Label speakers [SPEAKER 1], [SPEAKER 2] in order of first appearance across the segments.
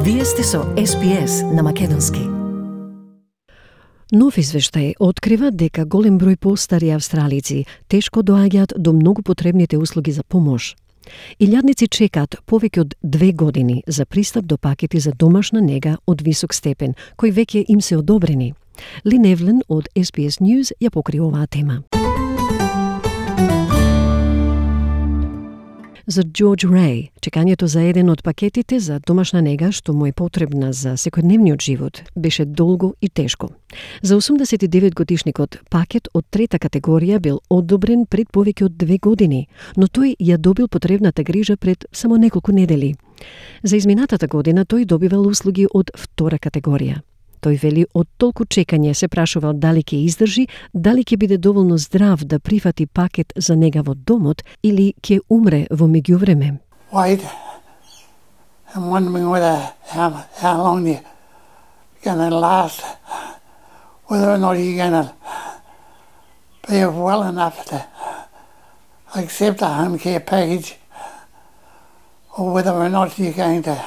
[SPEAKER 1] Вие сте со SPS на македонски.
[SPEAKER 2] Нов извештај открива дека голем број постари австралици тешко доаѓаат до многу потребните услуги за помош. Илјадници чекаат повеќе од 2 години за пристап до пакети за домашна нега од висок степен, кои веќе им се одобрени. Лин Евлен од SBS News ја покри оваа тема. За Джордж Рей, чекањето за еден од пакетите за домашна нега што му е потребна за секојдневниот живот беше долго и тешко. За 89-годишникот пакет од трета категорија бил одобрен пред повеќе од 2 години, но тој ја добил потребната грижа пред само неколку недели. За изминатата година тој добивал услуги од втора категорија. Тој вели од толку чекање се прашувал дали ќе издржи, дали ќе биде доволно здрав да прифати пакет за нега во домот или ќе умре во меѓувреме.
[SPEAKER 3] Wait, I'm wondering how long you're going to last, whether or not you're going to be well enough to accept a home care package, or whether or not you're going to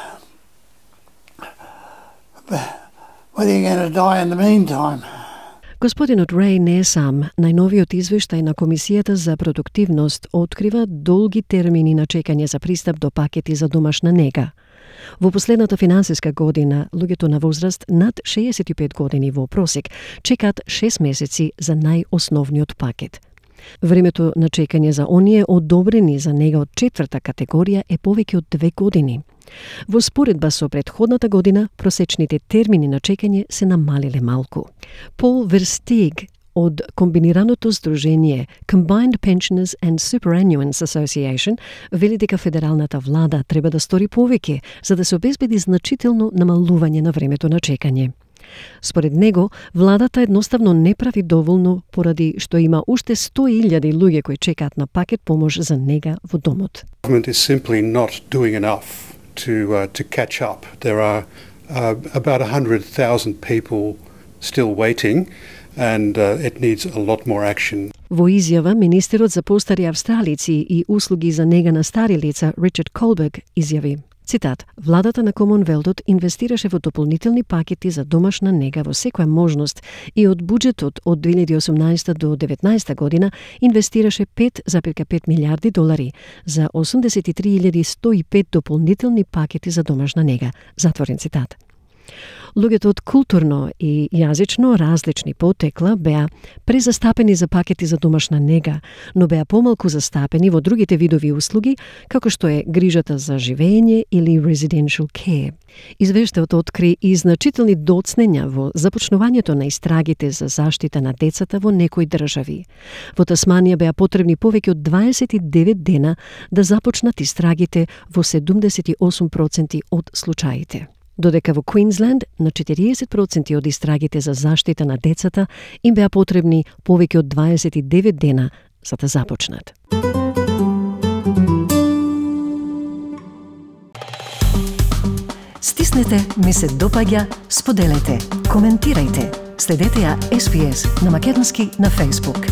[SPEAKER 3] die in the meantime.
[SPEAKER 2] Господинот Рей не е сам. Најновиот извештај на Комисијата за продуктивност открива долги термини на чекање за пристап до пакети за домашна нега. Во последната финансиска година, луѓето на возраст над 65 години во просек чекаат 6 месеци за најосновниот пакет. Времето на чекање за оние одобрени за нега од четврта категорија е повеќе од 2 години. Во споредба со претходната година, просечните термини на чекање се намалиле малку. Пол Верстиг од комбинираното здружение Combined Pensioners and Superannuants Association вели дека федералната влада треба да стори повеќе за да се обезбеди значително намалување на времето на чекање. Според него, владата едноставно не прави доволно поради што има уште 100.000 луѓе кои чекаат на пакет помош за нега во домот.
[SPEAKER 4] Government is simply not doing enough to catch up. There are about 100,000 people still waiting, and it needs a lot more action.
[SPEAKER 2] Во изјава, министерот за постари австралици и услуги за нега на стари лица Ричард Колберг изјави, цитат, владата на Комонвелтот инвестираше во дополнителни пакети за домашна нега во секоја можност и од буџетот од 2018 до 2019 година инвестираше 5,5 милиарди долари за 83.105 дополнителни пакети за домашна нега. Затворен цитат. Луѓето од културно и јазично различни потекла беа презастапени за пакети за домашна нега, но беа помалку застапени во другите видови услуги, како што е грижата за живење или residential care. Извештајот откри и значителни доцнења во започнувањето на истрагите за заштита на децата во некои држави. Во Тасманија беа потребни повеќе од 29 дена да започнат истрагите во 78% од случаите. Додека во Квинсленд на 40% од истрагите за заштита на децата им беа потребни повеќе од 29 дена за да започнат.
[SPEAKER 1] Стиснете, ми се допаѓа, споделете, коментирајте. Следете ја SPS на македонски на Facebook.